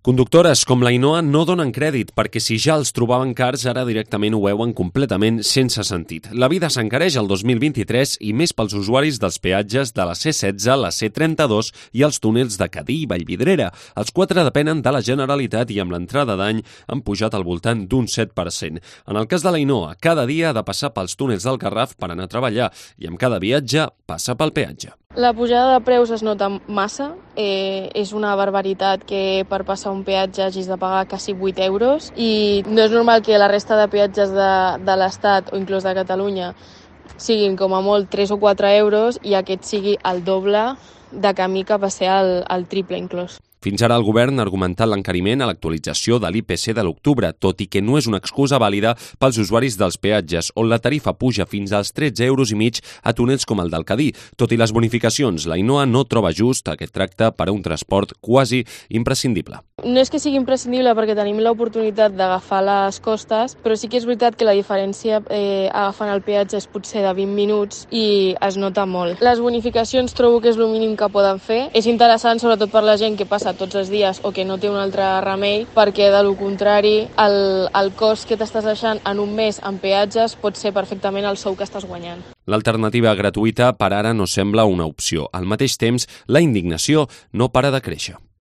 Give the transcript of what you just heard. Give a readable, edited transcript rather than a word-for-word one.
Conductores com l'Ainoa no donen crèdit perquè si ja els trobaven cars ara directament ho veuen completament sense sentit. La vida s'encareix el 2023 i més pels usuaris dels peatges de la C16, la C32 i els túnels de Cadí i Vallvidrera. Els 4 depenen de la Generalitat i amb l'entrada d'any han pujat al voltant d'un 7%. En el cas de l'Ainoa, cada dia ha de passar pels túnels del Garraf per anar a treballar i amb cada viatge passa pel peatge. La pujada de preus es nota massa, és una barbaritat que per passar un peatge hagis de pagar quasi 8 euros i no és normal que la resta de peatges de l'Estat o inclús de Catalunya siguin com a molt 3 o 4 euros i aquest sigui el doble de camí que va ser el triple inclús. Fins ara el govern ha argumentat l'encariment a l'actualització de l'IPC de l'octubre, tot i que no és una excusa vàlida pels usuaris dels peatges, on la tarifa puja fins als 13,5 euros a túnels com el del Cadí. Tot i les bonificacions, l'Ainoa no troba just aquest tracte per a un transport quasi imprescindible. No és que sigui imprescindible perquè tenim l'oportunitat d'agafar les costes, però sí que és veritat que la diferència agafant el peatge és potser de 20 minuts i es nota molt. Les bonificacions trobo que és el mínim que poden fer. És interessant sobretot per la gent que passa tots els dies o que no té un altre remei, perquè de lo contrari el cost que t'estàs deixant en un mes en peatges pot ser perfectament el sou que estàs guanyant. L'alternativa gratuïta per ara no sembla una opció. Al mateix temps, la indignació no para de créixer.